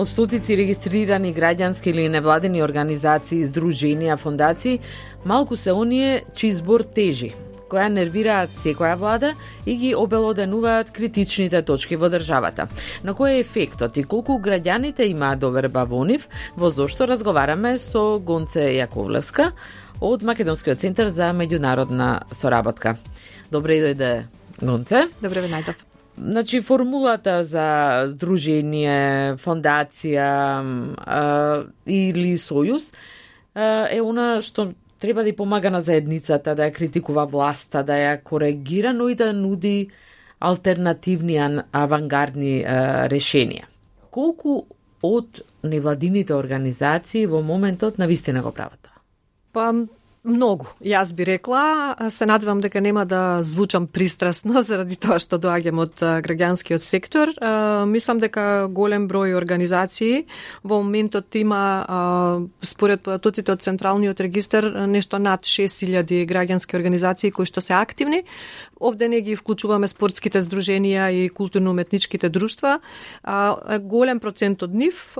Од стотици регистрирани граѓански или невладени организации, здруженија, фондации, малку се оние чиј збор тежи, која нервираат секоја влада и ги обелоденуваат критичните точки во државата. На кој е ефектот и колку граѓаните имаат доверба во нив, во зошто разговараме со Гонце Јаковлевска од Македонскиот центар за меѓународна соработка. Добре дојде, Гонце. Добре ве најдов. Значи, формулата за здружение, фондација или сојуз е она што треба да ја помага на заедницата, да ја критикува власта, да ја коригира, но и да нуди алтернативни, авангардни решенија. Колку од невладините организации во моментот навистина го прават тоа? Па, многу. Јас би рекла, се надевам дека нема да звучам пристрасно заради тоа што доаѓам од граѓанскиот сектор. Мислам дека голем број организации во моментот има, според податоците од Централниот регистар, нешто над 6000 граѓански организации кои што се активни. Овде не ги вклучуваме спортските здруженија и културно-уметничките друштва. Голем процент од нив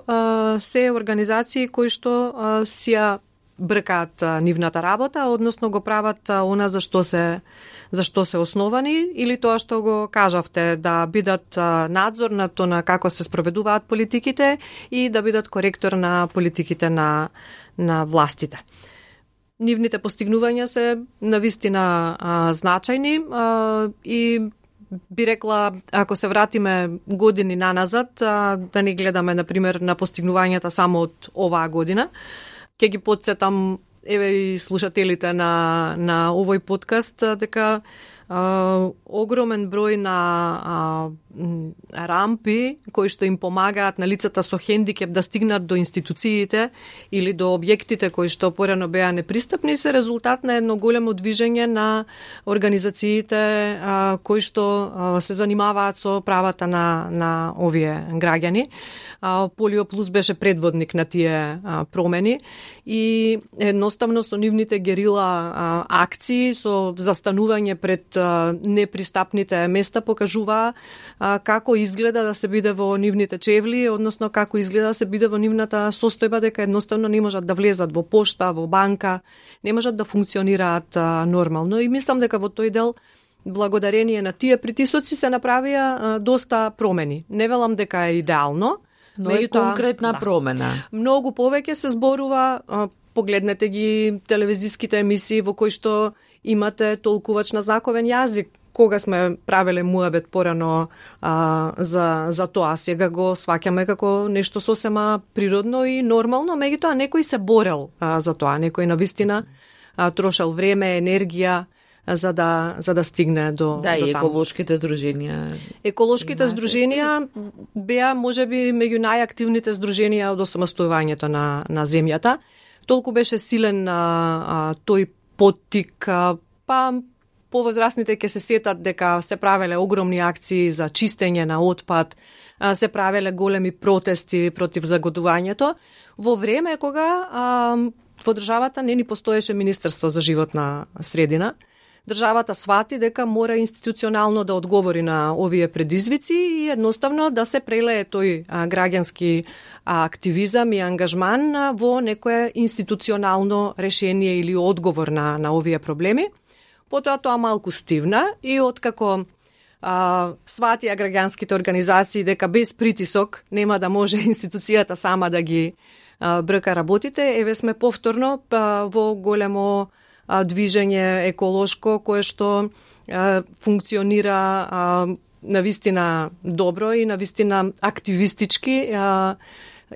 се организации кои што сија бркаат нивната работа, односно го прават она за што се основани, или тоа што го кажавте, да бидат надзор на тоа на како се спроведуваат политиките и да бидат коректор на политиките на властите. Нивните постигнувања се навистина значајни и би рекла, ако се вратиме години наназад, да не гледаме, например, на постигнувањата само од оваа година, ќе ги потсетам, еве и слушателите на овој подкаст, дека огромен број на рампи кои што им помагаат на лицата со хендикеп да стигнат до институциите или до објектите кои што порано беа непристапни, се резултат на едно големо движење на организациите кои што се занимаваат со правата на овие граѓани. Полио Плюс беше предводник на тие промени и едноставно со нивните герила акции, со застанување пред непристапните места покажува како изгледа да се биде во нивните чевли, односно како изгледа да се биде во нивната состојба, дека едноставно не можат да влезат во пошта, во банка, не можат да функционираат нормално. И мислам дека во тој дел, благодарение на тие притисоци, се направија доста промени. Не велам дека е идеално, но е конкретна промена. Многу повеќе се зборува, погледнете ги телевизиските емисии во кои што имате толкувач на знаковен јазик. Кога сме правеле муабет порано за тоа, сега го сваќаме како нешто сосема природно и нормално, меѓутоа некој се борел за тоа, некој навистина трошел време, енергија за да стигне до да, до и еколошките здруженија. Еколошките здруженија беа можеби меѓу најактивните здруженија од осамостојувањето на земјата. Толку беше силен тој поттик, па повозрасните ќе се сетат дека се правеле огромни акции за чистење на отпад, се правеле големи протести против загадувањето, во време кога во државата не ни постоеше Министерство за животна средина. Државата свати дека мора институционално да одговори на овие предизвици и едноставно да се прелее тој граѓански активизам и ангажман во некое институционално решение или одговор на овие проблеми. Потоа тоа малку стивна и откако сватија граѓанските организации дека без притисок нема да може институцијата сама да ги брка работите, еве сме повторно во големо движење еколошко кое што функционира навистина добро и навистина активистички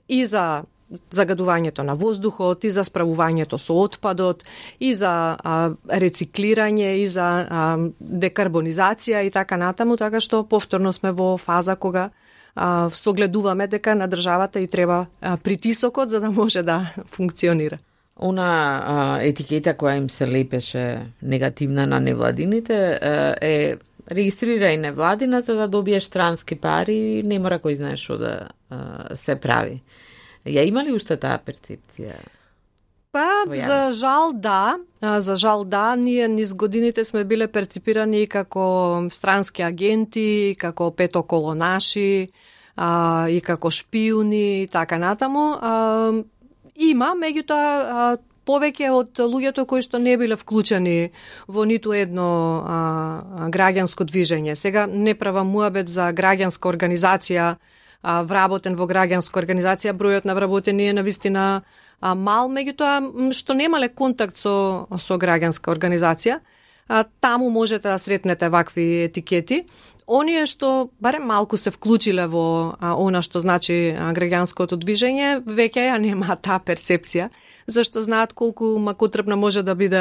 и за загадувањето на воздухот, и за справувањето со отпадот, и за рециклирање, и за декарбонизација и така натаму, така што повторно сме во фаза кога согледуваме дека на државата и треба притисокот за да може да функционира. Она етикета која им се лепеше негативна на невладините е регистрирај невладина за да добиеш странски пари, не мора кој знае што да се прави. Ја има ли уште таа перцепција? Па, за жал да, ние низ годините сме биле перципирани како странски агенти, како петоколонаши, и како шпиуни и така натаму. Има, меѓутоа, повеќе од луѓето кои што не биле вклучени во ниту едно граѓанско движење. Сега не правам муабет за граѓанска организација, вработен во граѓанска организација, бројот на вработени е навистина мал, меѓутоа што немале контакт со граѓанска организација, таму можете да сретнете вакви етикети. Оние што барем малку се вклучиле во она што значи граѓанското движење, веќе ја нема таа перцепција, зашто знаат колку макотребна може да биде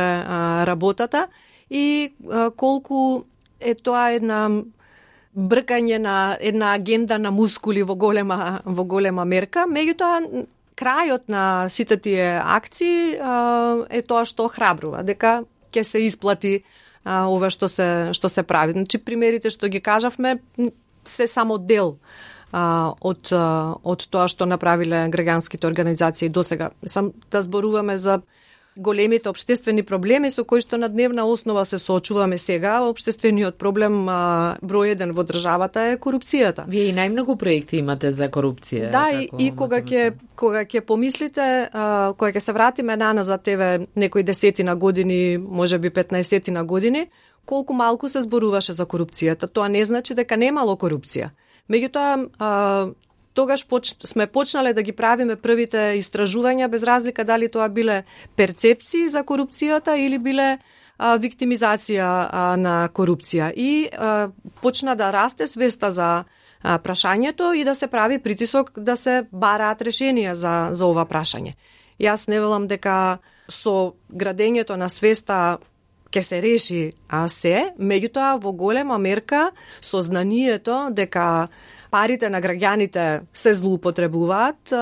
работата и колку е тоа една бркање на една агенда на мускули во голема мерка. Меѓутоа, крајот на сите тие акции е тоа што охрабрува, дека ќе се исплати ова што се прави. Значи, примерите што ги кажавме се само дел од тоа што направиле граѓанските организации досега. Сам да зборуваме за големите општествени проблеми со кои што на дневна основа се соочуваме сега. Општествениот проблем број 1 во државата е корупцијата. Вие и најмногу проекти имате за корупција. Да, и кога ќе помислите, кога ќе се вратиме назад некои десетина години, можеби 15 години, колку малку се зборуваше за корупцијата. Тоа не значи дека немало корупција. Меѓутоа, тогаш сме почнале да ги правиме првите истражувања, без разлика дали тоа биле перцепции за корупцијата или биле виктимизација на корупција. И почна да расте свеста за прашањето и да се прави притисок да се бараат решенија за ова прашање. Јас не велам дека со градењето на свеста ќе се реши се, меѓутоа во голема мерка сознанието дека парите на граѓаните се злоупотребуваат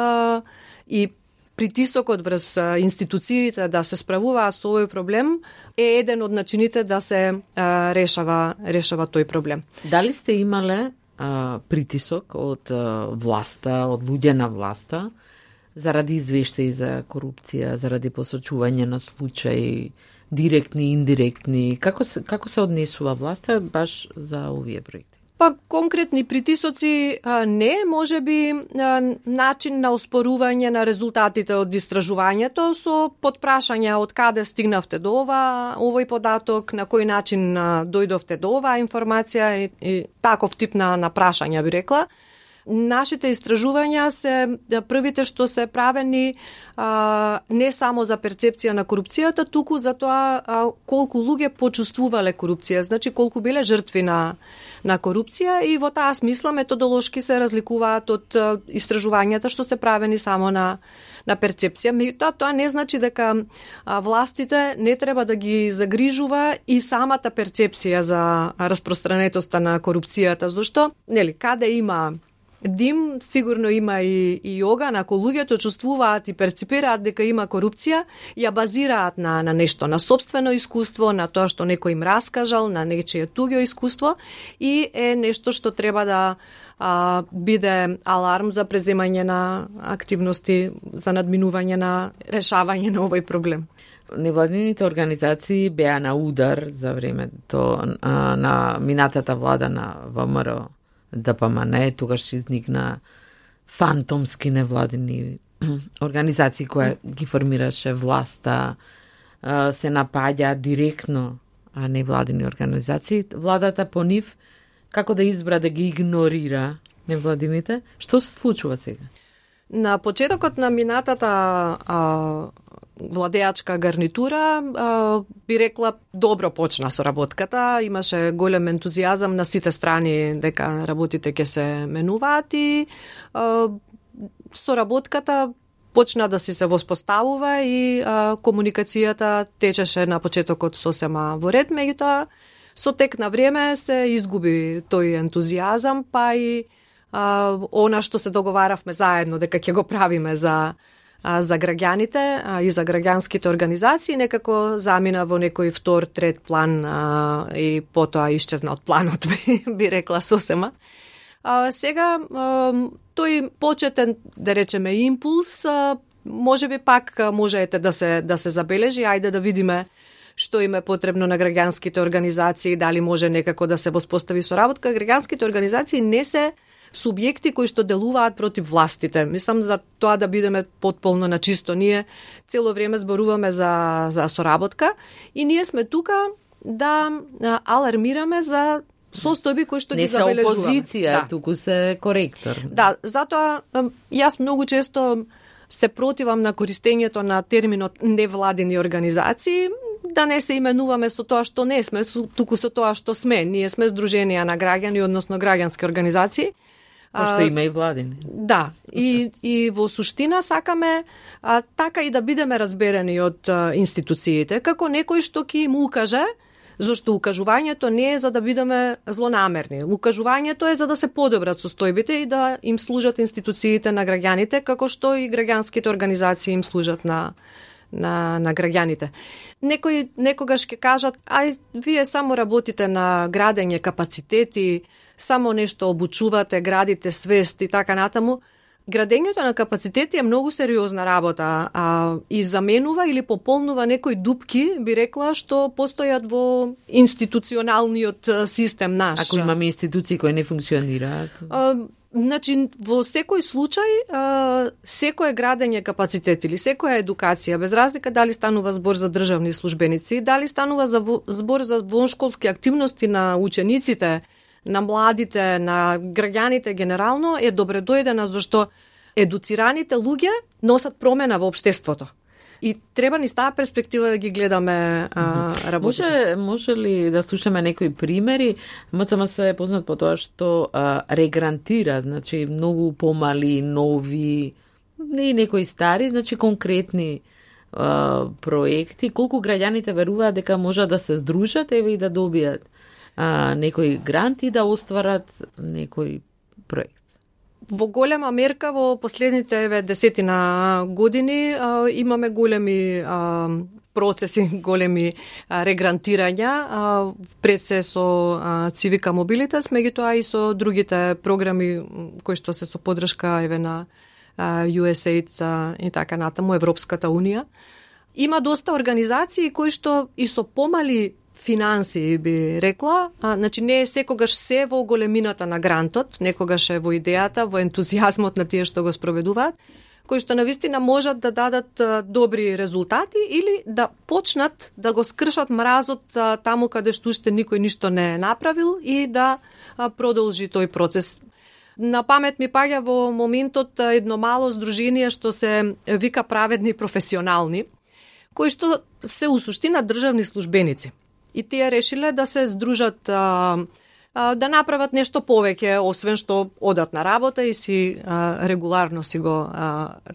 и притисокот врз институциите да се справуваат со овој проблем е еден од начините да се решава тој проблем. Дали сте имале притисок од власта, од луѓе на власта, заради извештаи за корупција, заради посочување на случаи, директни, индиректни? Како се однесува власта баш за овие проекти? Па, конкретни притисоци не, може би начин на оспорување на резултатите од истражувањето со подпрашања од каде стигнавте до овој податок, на кој начин дојдовте до оваа информација и таков тип на прашања би рекла. Нашите истражувања се првите што се правени не само за перцепција на корупцијата, туку за тоа колку луѓе почувствувале корупција, значи колку биле жртви на корупција, и во таа смисла методолошки се разликуваат од истражувањата што се правени само на перцепција. Меѓутоа, тоа не значи дека властите не треба да ги загрижува и самата перцепција за распространетоста на корупцијата, зашто каде има дим, сигурно има и оган. Ако луѓето чувствуваат и перципираат дека има корупција, ја базираат на нешто, на сопствено искуство, на тоа што некој им раскажал, на нечие туѓо искуство, и е нешто што треба да биде аларм за преземање на активности за надминување на решавање на овој проблем. Невладините организации беа на удар за времето на минатата влада на ВМРО ДПМН, тогаш изникна фантомски невладини организации која ги формираше власта, се напаѓа директно невладини организации. Владата по нив како да избра да ги игнорира невладините? Што се случува сега? На почетокот на минатата владеачка гарнитура, би рекла, добро почна соработката, имаше голем ентузијазам на сите страни дека работите ќе се менуваат и соработката почна да се воспоставува и комуникацијата течеше на почетокот сосема во ред, меѓутоа со тек на време се изгуби тој ентузијазам, па и она што се договаравме заедно дека ќе го правиме за граѓаните и за граѓанските организации, некако замина во некој втор, трет план и потоа исчезна од планот, би рекла сосема. Сега, тој почетен, да речеме, импулс, може би пак можете да се забележи, ајде да видиме што им е потребно на граѓанските организации, дали може некако да се воспостави соработка. Граѓанските организации не се субјекти кои што делуваат против властите. Мислам за тоа да бидеме потполно на чисто. Ние цело време зборуваме за соработка и ние сме тука да алармираме за состојби кои што ги забележуваме. Не се опозиција, туку се коректор. Да, затоа јас многу често се противам на користењето на терминот невладини организации, да не се именуваме со тоа што не сме, туку со тоа што сме. Ние сме здруженија на граѓани, односно граѓански организации. Пошто има и владини. Да, и во суштина сакаме така и да бидеме разберени од институциите, како некој што ќе им укаже, зашто укажувањето не е за да бидеме злонамерни. Укажувањето е за да се подобрат состојбите и да им служат институциите на граѓаните, како што и граѓанските организации им служат на граѓаните. Некогаш ќе кажат, вие само работите на градење капацитети, само нешто обучувате, градите свест и така натаму. Градењето на капацитети е многу сериозна работа и заменува или пополнува некои дупки, би рекла, што постојат во институционалниот систем наш. Ако имаме институции кои не функционираат? Значи, во секој случај, секој градење капацитет или секоја едукација, без разлика дали станува збор за државни службеници, дали станува збор за воншколски активности на учениците, на младите, на граѓаните генерално, е добре дојдена, зашто едуцираните луѓе носат промена во општеството. И треба ни таа перспектива да ги гледаме работите. Може ли да слушаме некои примери? МЦМ се е познат по тоа што регрантира, значи многу помали, нови и некои стари, значи конкретни проекти. Колку граѓаните веруваат дека можат да се здружат и да добијат некој грант и да остварат некој проект? Во голема мерка во последните 10 години имаме големи процеси, големи регрантирања, пред се со Цивика Мобилитас, меѓутоа и со другите програми кои што се со поддршка на USAID и така натаму, Европската Унија. Има доста организации кои што и со помали финанси, би рекла, значи не е секогаш се во големината на грантот, некогаш е во идејата, во ентузијазмот на тие што го спроведуваат, кои што навистина можат да дадат добри резултати или да почнат да го скршат мразот таму каде што уште никој ништо не е направил и да продолжи тој процес. На памет ми паѓа во моментот едно мало здружение што се вика Праведни професионални, кои што се у суштина државни службеници. И тие решиле да се здружат, да направат нешто повеќе, освен што одат на работа и си регуларно си го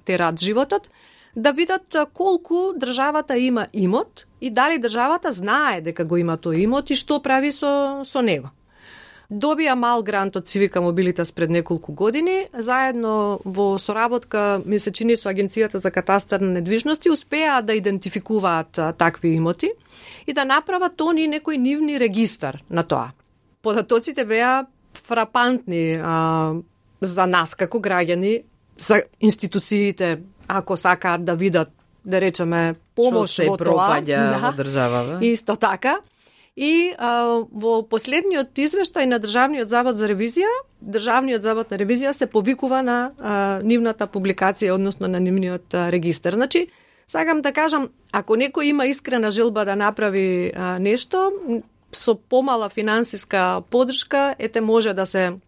терат животот, да видат колку државата има имот и дали државата знае дека го има тој имот и што прави со него. Добија мал грант од Цивика Мобилитас пред неколку години, заедно во соработка, ми се чини, со Агенцијата за катастар на недвижности, успеа да идентификуваат такви имоти и да направат тони некој нивни регистар на тоа. Податоците беа фрапантни за нас како граѓани, за институциите, ако сакаат да видат, да речеме, помош во тоа. Во држава. Исто така. И во последниот извештај на Државниот завод за ревизија, Државниот завод на ревизија се повикува на нивната публикација, односно на нивниот регистар. Значи, сакам да кажам, ако некој има искрена желба да направи нешто, со помала финансиска поддршка, може да се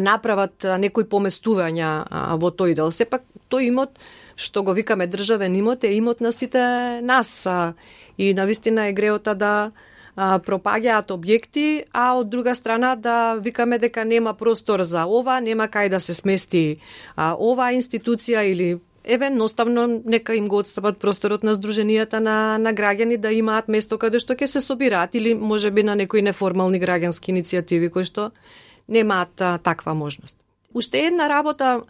направат некои поместувања во тој дел. Сепак, тој имот, што го викаме државен имот, е имот на сите нас. И навистина е греота да пропаѓаат објекти, а од друга страна да викаме дека нема простор за ова, нема кај да се смести ова институција или едноставно нека им го отстапат просторот на здруженијата на граѓани да имаат место каде што ќе се собираат или можеби на некои неформални граѓански иницијативи кои што немаат таква можност. Уште една работа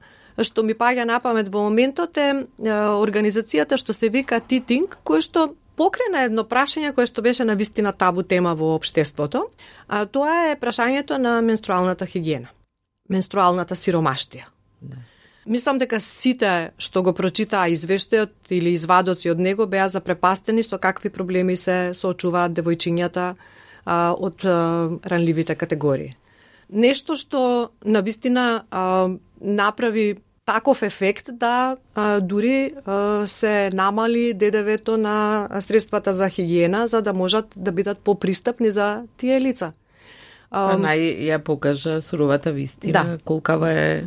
што ми паѓа на памет во моментот е организацијата што се вика Титинг, кој што покрена едно прашање кое што беше навистина табу тема во општеството, а тоа е прашањето на менструалната хигиена, менструалната сиромаштија. Да. Мислам дека сите што го прочитаа извештајот или извадоци од него беа запрепастени со какви проблеми се соочуваат девојчињата од ранливите категории. нешто што навистина направи таков ефект да дури се намали ДДВ-то на средствата за хигиена, за да можат да бидат попристапни за тие лица. Ја покажа суровата вистина, колкава е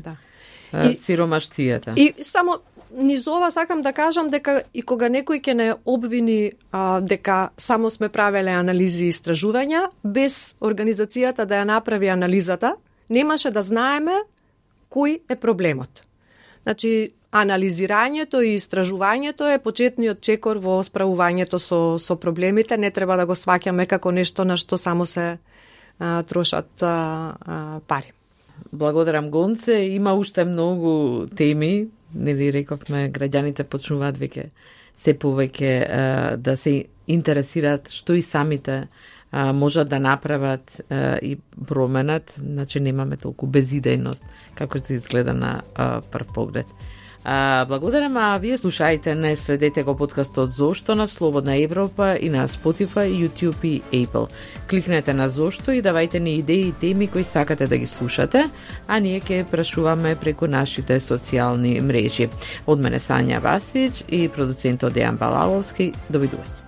сиромаштијата. И само низ ова сакам да кажам дека и кога некој ќе не обвини дека само сме правеле анализи и истражувања, без организацијата да ја направи анализата, немаше да знаеме кој е проблемот. Значи, анализирањето и истражувањето е почетниот чекор во справувањето со проблемите. Не треба да го сваќаме како нешто на што само се трошат пари. Благодарам, Гонце. Има уште многу теми. Нели рековме, граѓаните почнуваат веќе се повеќе да се интересираат што и самите можат да направат и променат, значи немаме толку безидејност како се изгледа на прв поглед. Благодарам, а вие слушајте, не следете го подкастот Зошто на Слободна Европа и на Spotify, YouTube и Apple. Кликнете на Зошто и давајте ни идеи и теми кои сакате да ги слушате, а ние ќе прашуваме преку нашите социјални мрежи. Од мене Сања Васич и продуцентот Дејан Балаловски. Довидување.